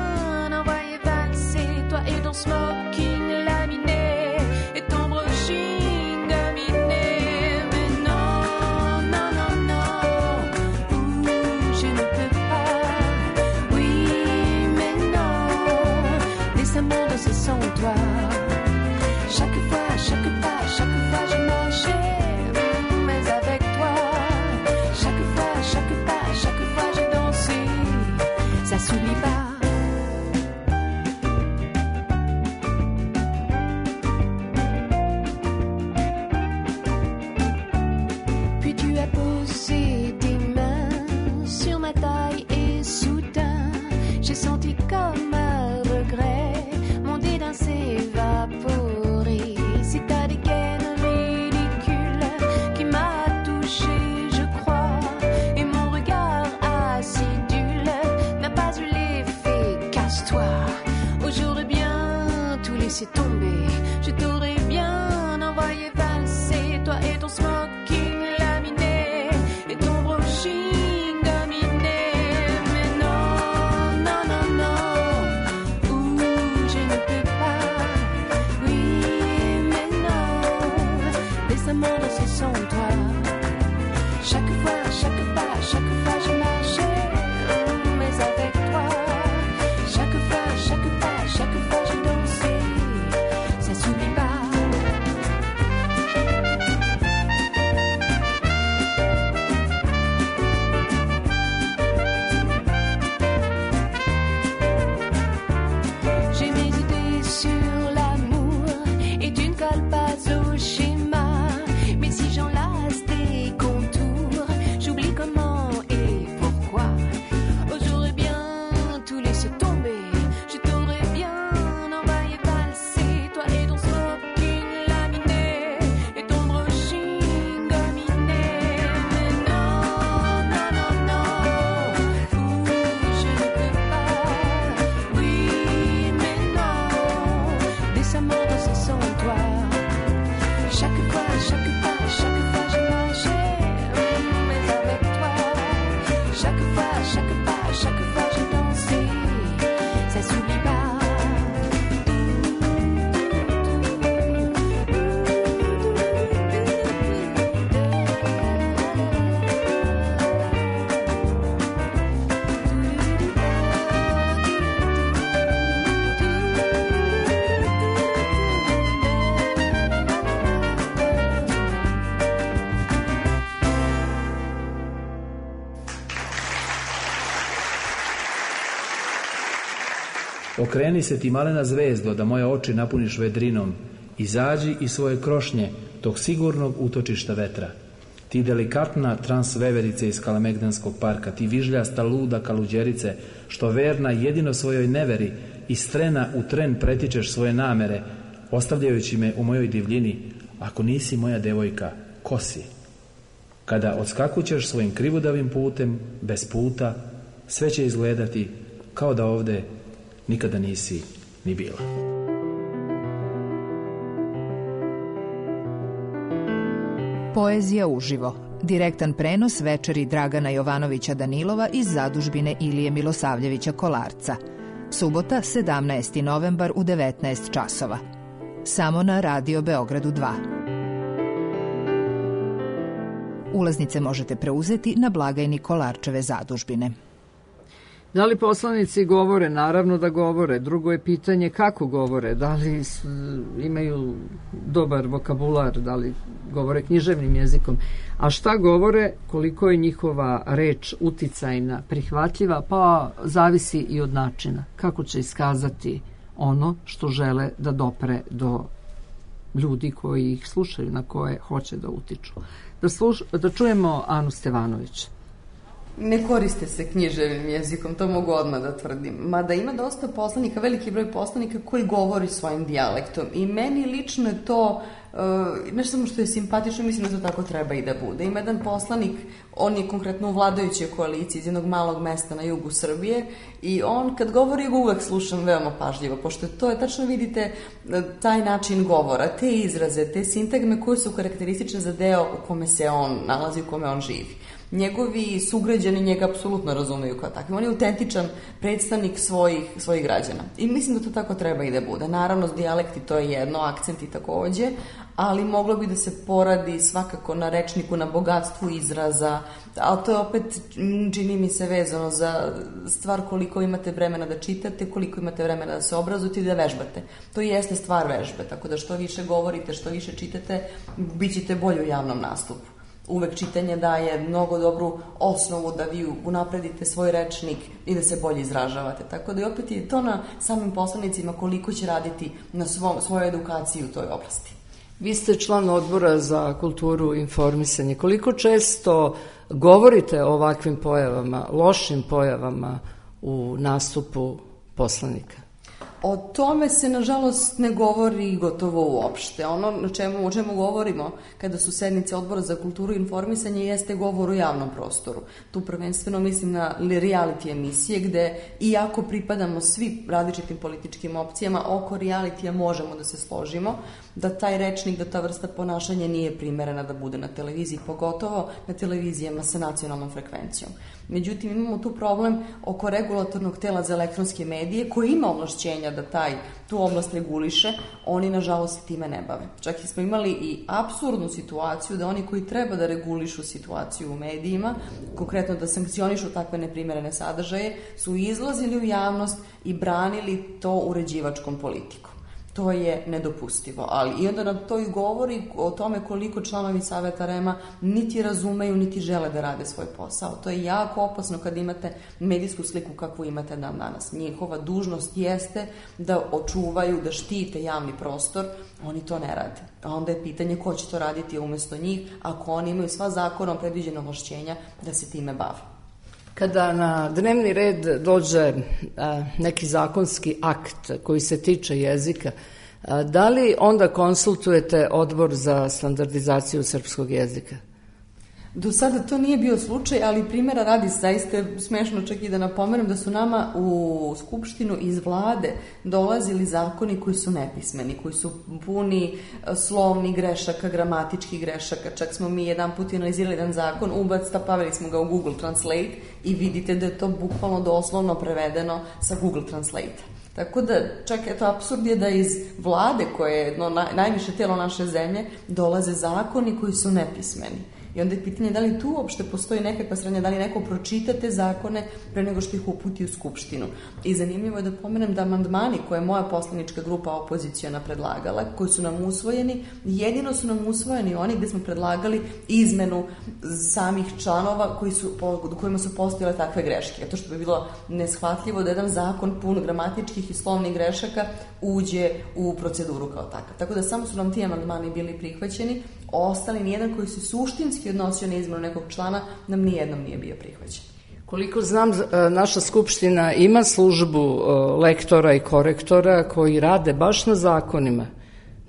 envoyé valser, toi et ton smoking laminé et ton brushing dominé. laisser tomber. Je t'aurais bien envoyé valser, toi et ton smoking laminé et ton brushing dominé. Mais non, non, non, non, ouh, je ne peux pas. Oui, mais non, laisse-moi danser sans toi. Chaque fois, chaque pas, chaque fois je marchais, mais avec toi. Chaque fois, chaque pas, chaque fois je dansais, ça s'oublie pas. J'ai mes idées sur l'amour et tu ne colles pas au schéma. Mais si j'enlace tes contours, j'oublie comment et pourquoi. Oh, j'aurais bien tout laissé tomber. Je t'aurais bien envoyé valser, toi et ton smoking laminé et ton brushing dominé. Mais non, non, non, non, ouh, je ne peux pas. Oui, mais non, laisse-moi danser sans toi. Chaque fois, chaque pas, chaque fois je marchais, mais avec toi. Chaque fois, chaque pas, chaque fois je dansais, ça s'oublie pas. Okreni se ti malena zvezdo, da moje oči napuniš vedrinom. Izađi iz svoje krošnje, tog sigurnog utočišta vetra. Ti delikatna transveverice iz Kalemegdanskog parka, ti vižljasta luda kaluđerice, što verna jedino svojoj neveri, iz trena u tren pretičeš svoje namere, ostavljajući me u mojoj divljini. Ako nisi moja devojka, ko si? Kada odskakućeš svojim krivudavim putem, bez puta, sve će izgledati kao da ovde nikada nisi ni bila. Poezija uživo. Direktan prenos večeri Dragana Jovanovića Danilova iz zadužbine Ilije Milosavljevića Kolarca. Subota, 17. novembar u 19 časova. Samo na Radio Beogradu 2. Ulaznice možete preuzeti na blagajni Kolarčeve zadužbine. Da li poslanici govore? Naravno da govore. Drugo je pitanje kako govore. Da li imaju dobar vokabular, da li govore književnim jezikom. A šta govore, koliko je njihova reč uticajna, prihvatljiva, pa zavisi i od načina. Kako će iskazati ono što žele da dopre do ljudi koji ih slušaju, na koje hoće da utiču. Da čujemo Anu Stevanović. Ne koriste se književnim jezikom, to mogu odmah da tvrdim. Mada ima dosta poslanika, veliki broj poslanika koji govori svojim dijalektom. I meni lično je to, ne samo što je simpatično, mislim da to tako treba i da bude. Ima jedan poslanik, on je konkretno u vladajućoj koaliciji iz jednog malog mesta na jugu Srbije i on kad govori ga uvek slušam veoma pažljivo, pošto to je, tačno vidite taj način govora, te izraze, te sintagme koje su karakteristične za deo u kome se on nalazi, u kome on živi. Njegovi sugrađani njega apsolutno razumeju kao takvim. On je autentičan predstavnik svojih građana. I mislim da to tako treba i da bude. Naravno, dijalekti to je jedno, akcenti takođe, ali moglo bi da se poradi svakako na rečniku, na bogatstvu izraza, ali to je opet, čini mi se, vezano za stvar koliko imate vremena da čitate, koliko imate vremena da se obrazujete i da vežbate. To jeste stvar vežbe, tako da što više govorite, što više čitate, bit ćete bolji u javnom nastupu. Uvek čitanje daje mnogo dobru osnovu da vi unapredite svoj rečnik i da se bolje izražavate. Tako da i opet je to na samim poslanicima koliko će raditi na svojoj edukaciji u toj oblasti. Vi ste član odbora za kulturu i informisanje. Koliko često govorite o ovakvim pojavama, lošim pojavama u nastupu poslanika? O tome se, nažalost, ne govori gotovo uopšte. Ono o čemu govorimo kada su sednice Odbora za kulturu i informisanje jeste govor u javnom prostoru. Tu prvenstveno mislim na reality emisije gde, iako pripadamo svi različitim političkim opcijama, oko realitija možemo da se složimo, da taj rečnik, da ta vrsta ponašanja nije primerena da bude na televiziji, pogotovo na televizijama sa nacionalnom frekvencijom. Međutim, imamo tu problem oko regulatornog tela za elektronske medije koji ima ovlašćenja da tu oblast reguliše, oni nažalost time ne bave. Čak smo imali i apsurdnu situaciju da oni koji treba da regulišu situaciju u medijima, konkretno da sankcionišu takve neprimerene sadržaje, su izlazili u javnost i branili to uređivačkom politikom. To je nedopustivo, ali i onda nam to i govori o tome koliko članovi Saveta REM-a niti razumeju, niti žele da rade svoj posao. To je jako opasno kad imate medijsku sliku kakvu imate danas. Njihova dužnost jeste da očuvaju, da štite javni prostor, oni to ne rade. A onda je pitanje ko će to raditi umesto njih, ako oni imaju sva zakonom predviđena ovlašćenja da se time bave. Kada na dnevni red dođe neki zakonski akt koji se tiče jezika, da li onda konsultujete Odbor za standardizaciju srpskog jezika? Do sada to nije bio slučaj, ali primjera radi, zaista je smešno čak i da napomenem da su nama u Skupštinu iz vlade dolazili zakoni koji su nepismeni, koji su puni slovnih grešaka, gramatičkih grešaka. Čak smo mi jedan put analizirali jedan zakon, stavili smo ga u Google Translate i vidite da je to bukvalno doslovno prevedeno sa Google Translate. Tako da, čak eto, apsurd je da iz vlade, koje je najviše telo naše zemlje, dolaze zakoni koji su nepismeni. I onda je pitanje da li tu uopšte postoji nekakva srednja, da li neko pročita te zakone pre nego što ih uputi u Skupštinu. I zanimljivo je da pomenem da amandmani koje je moja poslanička grupa opoziciona predlagala, koji su nam usvojeni, jedino su nam usvojeni oni gde smo predlagali izmenu samih članova kojima su postojale takve greške. To što bi bilo neshvatljivo da jedan zakon pun gramatičkih i slovnih grešaka uđe u proceduru kao takav. Tako da samo su nam ti amandmani bili prihvaćeni, ostali nijedan koji se suštinski odnosio na izmenu nekog člana nam nijednom nije bio prihvaćen. Koliko znam, naša Skupština ima službu lektora i korektora koji rade baš na zakonima.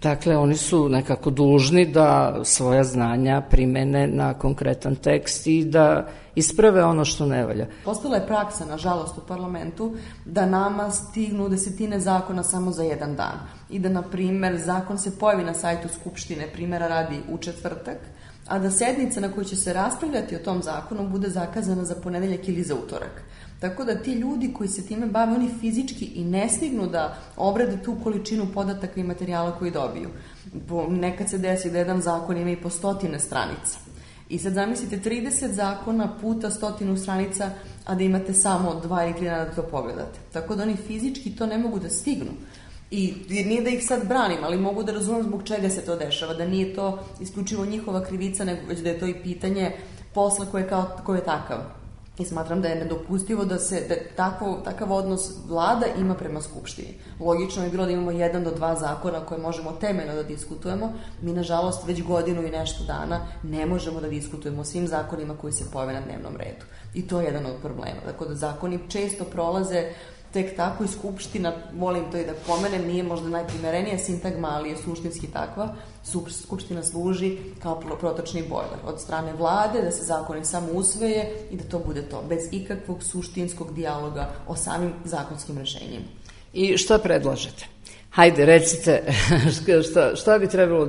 Dakle, oni su nekako dužni da svoja znanja primene na konkretan tekst i da isprave ono što ne valja. Postala je praksa, nažalost, u parlamentu da nama stignu desetine zakona samo za jedan dan. I da, na primer, zakon se pojavi na sajtu Skupštine, primjera radi u četvrtak, a da sednica na kojoj će se raspravljati o tom zakonu bude zakazana za ponedeljak ili za utorak. Tako da ti ljudi koji se time bave, oni fizički i ne stignu da obrade tu količinu podataka i materijala koji dobiju. Nekad se desi da jedan zakon ima i po 100 stranica. I sad zamislite 30 zakona puta 100 stranica, a da imate samo 2 ili 3 dana da to pogledate. Tako da oni fizički to ne mogu da stignu. I nije da ih sad branim, ali mogu da razumem zbog čega se to dešava, da nije to isključivo njihova krivica, nego već da je to i pitanje posla koje je takav. I smatram da je nedopustivo da takav odnos vlada ima prema Skupštini. Logično je bilo da imamo 1 do 2 zakona koje možemo temeljno da diskutujemo. Mi, nažalost, već godinu i nešto dana ne možemo da diskutujemo o svim zakonima koji se pojave na dnevnom redu. I to je jedan od problema. Tako da zakoni često prolaze tek tako i Skupština, volim to i da pomenem, nije možda najprimerenija sintagma, ali je suštinski takva. Skupština služi kao protočni bojler od strane vlade, da se zakoni samo usvoje i da to bude to, bez ikakvog suštinskog dijaloga o samim zakonskim rešenjima. I šta predlažete? Hajde, recite šta bi trebalo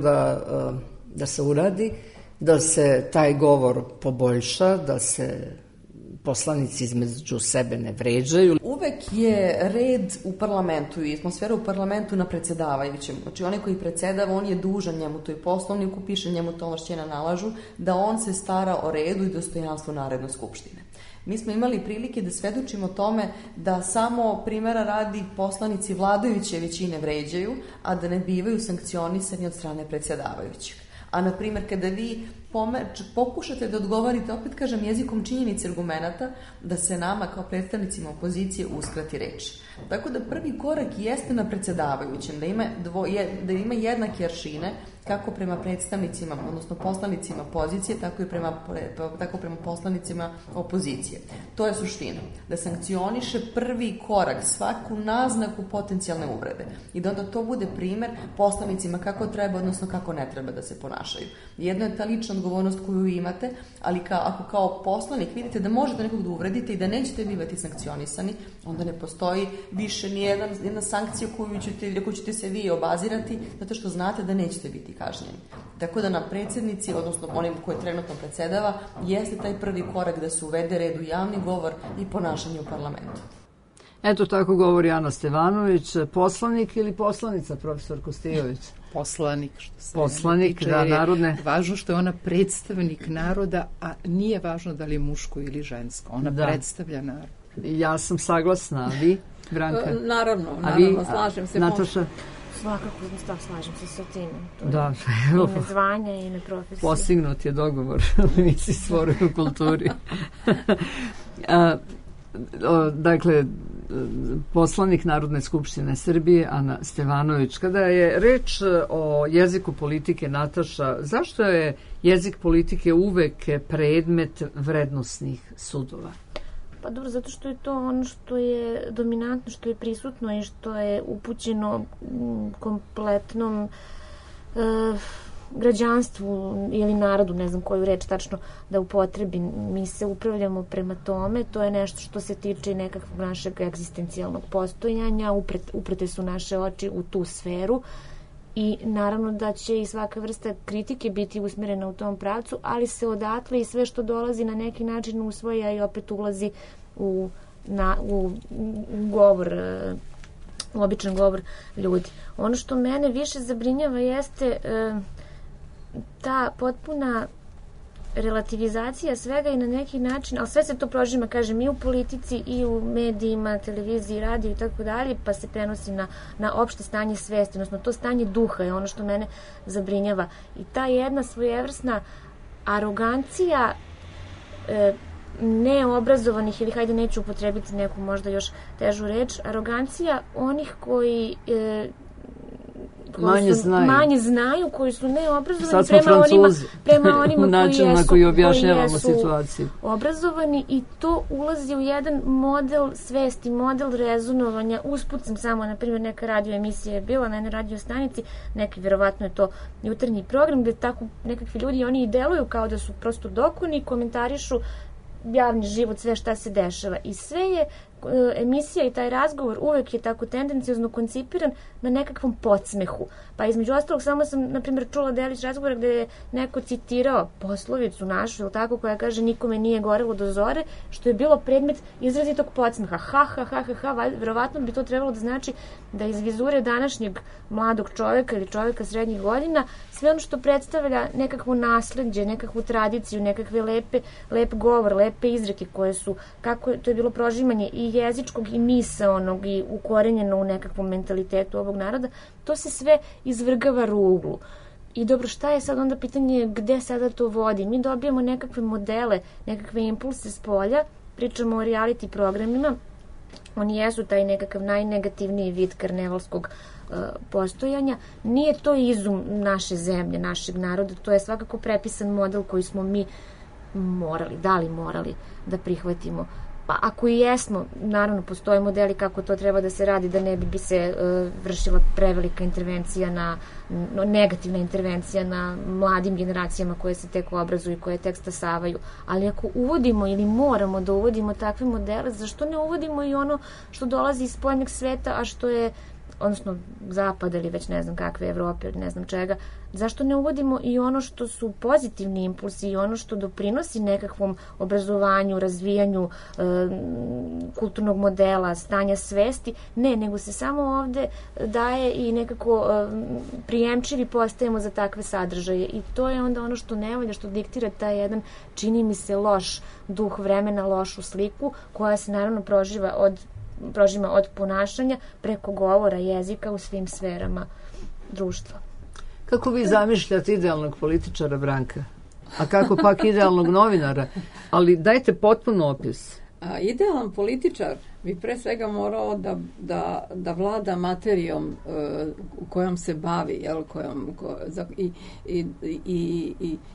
da se uradi, da se taj govor poboljša, da se poslanici između sebe ne vređaju. Uvek je red u parlamentu i atmosfera u parlamentu na predsedavajućem. Znači, onaj koji predsedava, on je dužan, njemu to i poslovniku piše, njemu to ovlašćenja nalažu, da on se stara o redu i dostojanstvu Narodne skupštine. Mi smo imali prilike da svedočimo tome da samo primjera radi poslanici vladajuće većine vređaju, a da ne bivaju sankcionisani od strane predsedavajućih. A, na primjer, kada vi pokušate da odgovorite, opet kažem, jezikom činjenice argumenata, da se nama kao predstavnicima opozicije uskrati reč. Tako da prvi korak jeste na predsedavajućem, da ima jednake aršine, kako prema predstavnicima, odnosno poslanicima pozicije, tako prema poslanicima opozicije. To je suština. Da sankcioniše prvi korak, svaku naznaku potencijalne uvrede. I da onda to bude primer poslanicima kako treba, odnosno kako ne treba da se ponašaju. Jedno je ta lična odgovornost koju imate, ali ako kao poslanik vidite da možete nekog da uvredite i da nećete bivati sankcionisani, onda ne postoji više ni jedna sankcija koju ćete se vi obazirati, zato što znate da nećete biti kažnjeni. Tako da na predsjednici, odnosno onim koji trenutno predsedava, jeste taj prvi korak da se uvede red u javni govor i ponašanje u parlamentu. Eto, tako govori Ana Stevanović, poslanik ili poslanica, profesor Kostijović? Poslanik, što se poslanik, da, narodne. Važno što je ona predstavnik naroda, a nije važno da li je muško ili žensko. Ona predstavlja narod. Ja sam saglasna, a vi, Branka? Naravno, slažem se. Nataša? Svakako, slažem se sa tim. Da, ime zvanja i ime profesije. Postignut je dogovor u emisiji Stvoruju u kulturi. Dakle, poslanik Narodne skupštine Srbije, Ana Stevanović. Kada je reč o jeziku politike, Nataša, zašto je jezik politike uvek predmet vrednosnih sudova? Pa dobro, zato što je to ono što je dominantno, što je prisutno i što je upućeno kompletnom građanstvu ili narodu, ne znam koju reč tačno da upotrebim. Mi se upravljamo prema tome, to je nešto što se tiče nekakvog našeg egzistencijalnog postojanja, uprete su naše oči u tu sferu i naravno da će i svaka vrsta kritike biti usmjerena u tom pravcu, ali se odatle i sve što dolazi na neki način usvoja i opet ulazi u govor, u običan govor ljudi. Ono što mene više zabrinjava jeste ta potpuna relativizacija svega i na neki način, ali sve se to prožima, kažem, i u politici i u medijima, televiziji, radiju i tako dalje, pa se prenosi na opšte stanje svesti, odnosno to stanje duha je ono što mene zabrinjava. I ta jedna svojevrsna arogancija neobrazovanih, ili hajde neću upotrebiti neku možda još težu reč, arogancija onih koji manje znaju, koji su neobrazovani prema onima koji objašnjavamo situaciju. Obrazovani, i to ulazi u jedan model svesti, model rezonovanja. Usput sam samo, na primjer, neka radio emisija je bila na jednoj radio stanici, neki, verovatno je to jutarnji program, gde tako nekakvi ljudi, oni i deluju kao da su prosto dokoni, komentarišu javni život, sve šta se dešava. I sve je emisija i taj razgovor uvek je tako tendenciozno koncipiran na nekakvom podsmehu. Pa između ostalog samo sam, na primjer, čula delić razgovora gde je neko citirao poslovicu našu, ili tako, koja kaže nikome nije gorelo do zore, što je bilo predmet izrazitog podsmeha. Verovatno bi to trebalo da znači da iz vizure današnjeg mladog čoveka ili čoveka srednjih godina sve ono što predstavlja nekakvo nasleđe, nekakvu tradiciju, nekakve lep govor, lepe izreke koje su, kako to je bilo prožimanje i jezičkog i misaonog i ukorenjeno u nekakvom mentalitetu ovog naroda, to se sve izvrgava ruglu. I dobro, šta je sad onda pitanje gde sada to vodi? Mi dobijamo nekakve modele, nekakve impulse s polja, pričamo o reality programima, oni jesu taj nekakav najnegativniji vid karnevalskog postojanja. Nije to izum naše zemlje, našeg naroda, to je svakako prepisan model koji smo mi morali da prihvatimo. Pa ako i jesmo, naravno postoje modeli kako to treba da se radi, da ne bi se vršila prevelika intervencija negativna intervencija na mladim generacijama koje se tek obrazuju i koje tek stasavaju. Ali ako uvodimo ili moramo da uvodimo takve modele, zašto ne uvodimo i ono što dolazi iz spoljnog sveta, a što je, odnosno zapada ili već ne znam kakve Evrope ili ne znam čega, zašto ne uvodimo i ono što su pozitivni impulsi i ono što doprinosi nekakvom obrazovanju, razvijanju kulturnog modela, stanja svesti? Ne, nego se samo ovde daje i nekako prijemčivi postajemo za takve sadržaje i to je onda ono što ne volja, što diktira taj jedan, čini mi se, loš duh vremena, lošu sliku koja se naravno prožima od ponašanja preko govora, jezika u svim sferama društva. Kako vi zamišljate idealnog političara, Branka? A kako pak idealnog novinara? Ali dajte potpuno opis. Idealan političar bi pre svega morao da vlada materijom kojom se bavi, jel,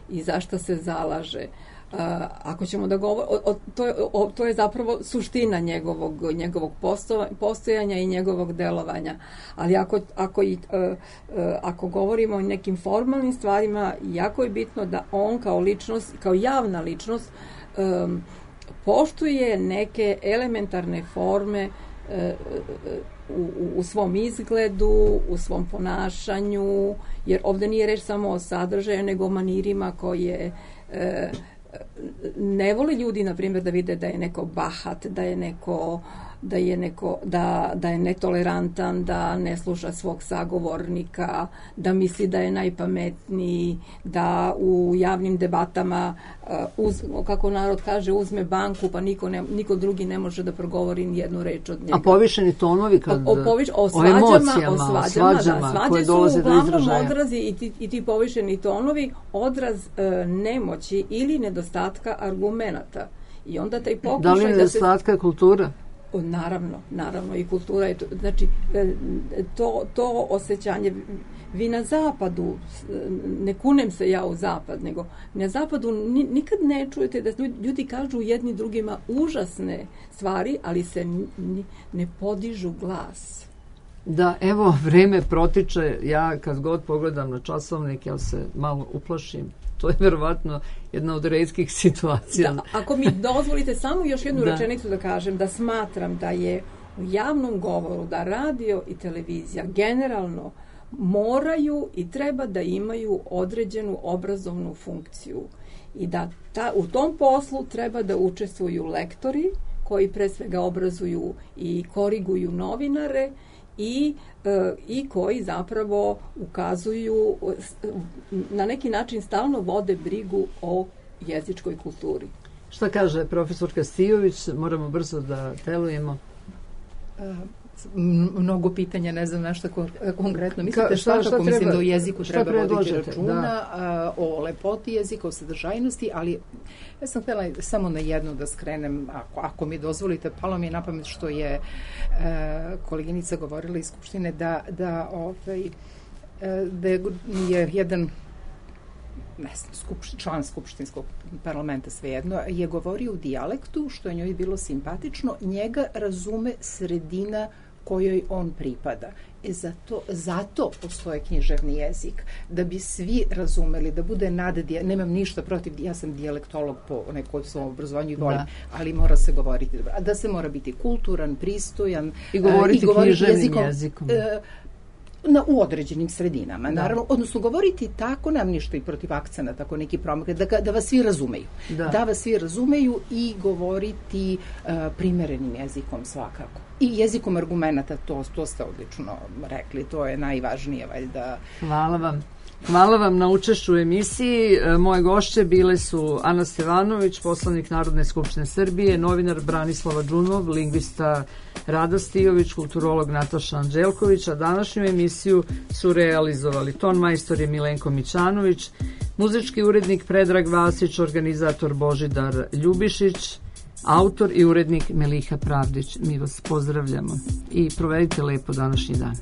i za šta se zalaže. Ako ćemo da govorimo, to je zapravo suština njegovog postojanja i njegovog delovanja. Ali ako govorimo o nekim formalnim stvarima, jako je bitno da on kao ličnost, kao javna ličnost, poštuje neke elementarne forme u svom izgledu, u svom ponašanju, jer ovde nije reč samo o sadržaju, nego o manirima koje ne vole ljudi, na primjer, da vide da je neko bahat, da je netolerantan, da ne sluša svog sagovornika, da misli da je najpametniji, da u javnim debatama, kako narod kaže, uzme banku, pa niko drugi ne može da progovori ni jednu reč od njega. A povišeni tonovi o svađama koje dolaze do izražaja. Odrazi i ti povišeni tonovi odraz nemoći ili nedostatka argumenata. I onda taj pokušaj da li je nedostatka kultura? Naravno i kultura je to. Znači, to osjećanje, vi na zapadu, ne kunem se ja u zapad, nego na zapadu nikad ne čujete da ljudi kažu jedni drugima užasne stvari, ali se ne podižu glas. Da, evo, vreme protiče, ja kad god pogledam na časovnik, ja se malo uplašim. To je verovatno jedna od retkih situacija. Da, ako mi dozvolite samo još jednu rečenicu da kažem, da smatram da je u javnom govoru, da radio i televizija generalno moraju i treba da imaju određenu obrazovnu funkciju i da u tom poslu treba da učestvuju lektori koji pre svega obrazuju i koriguju novinare i koji zapravo ukazuju, na neki način stalno vode brigu o jezičkoj kulturi. Šta kaže profesorka Stijović? Moramo brzo da telujemo. Mnogo pitanja, ne znam na šta konkretno mislite. Svakako mislim da u jeziku treba voditi računa o lepoti jezika, o sadržajnosti, ali ja sam htjela samo na jedno da skrenem, ako mi dozvolite, palo mi je na pamet što je koleginica govorila iz Skupštine da je jedan član Skupštinskog parlamenta, svejedno, je govorio u dijalektu, što je njoj bilo simpatično, njega razume sredina kojoj on pripada. Zato postoje književni jezik, da bi svi razumeli, da bude nemam ništa protiv, ja sam dijalektolog po nekoj svom obrazovanju i volim, ali mora se govoriti dobro. A da se mora biti kulturan, pristojan i govoriti književnim jezikom. U određenim sredinama, naravno, odnosno govoriti tako, nemam ništa i protiv akcenta, tako neki promak, da vas svi razumeju. Da vas svi razumeju i govoriti primerenim jezikom svakako. I jezikom argumenata, to ste odlično rekli, to je najvažnije, valjda. Hvala vam. Hvala vam na učešću u emisiji. Moje gošće bile su Ana Stevanović, poslanik Narodne skupštine Srbije, novinar Branislava Džunov, lingvista Rada Stijović, kulturolog Nataša Anđelković, a današnju emisiju su realizovali ton majstor je Milenko Mićanović, muzički urednik Predrag Vasić, organizator Božidar Ljubišić, autor i urednik Meliha Pravdić. Mi vas pozdravljamo i provedite lepo današnji dan.